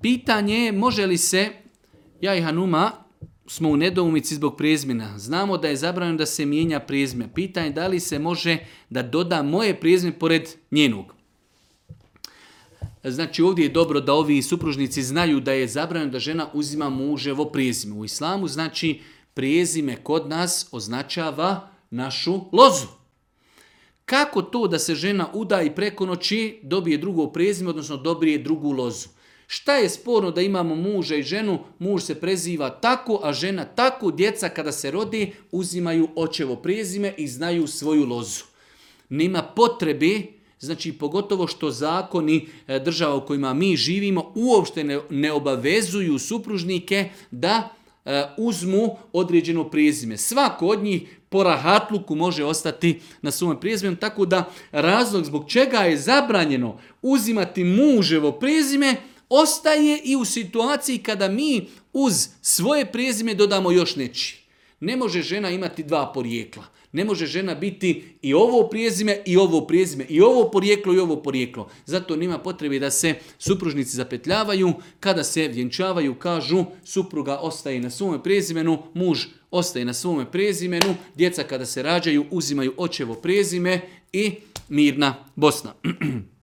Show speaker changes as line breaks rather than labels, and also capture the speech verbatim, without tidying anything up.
Pitanje je može li se, ja i Hanuma smo u nedoumici zbog prezimena. Znamo da je zabranjeno da se mijenja prezime. Pitanje je da li se može da doda moje prezime pored njenog. Znači ovdje je dobro da ovi supružnici znaju da je zabranjeno da žena uzima muževo prezime. U islamu znači prezime kod nas označava našu lozu. Kako to da se žena uda i preko noći dobije drugo prezime, odnosno dobije drugu lozu? Šta je sporno da imamo muža i ženu, muž se preziva tako, a žena tako, djeca kada se rode uzimaju očevo prezime i znaju svoju lozu. Nema potrebe, znači pogotovo što zakoni država u kojima mi živimo uopšte ne, ne obavezuju supružnike da e, uzmu određeno prezime. Svako od njih po rahatluku može ostati na svom prezimenu, tako da razlog zbog čega je zabranjeno uzimati muževo prezime ostaje i u situaciji kada mi uz svoje prezime dodamo još nečiji. Ne može žena imati dva porijekla. Ne može žena biti i ovo prezime i ovo prezime, i ovo porijeklo i ovo porijeklo. Zato nema potrebe da se supružnici zapetljavaju. Kada se vjenčavaju, kažu supruga ostaje na svome prezimenu, muž ostaje na svome prezimenu, djeca kada se rađaju uzimaju očevo prezime i mirna Bosna.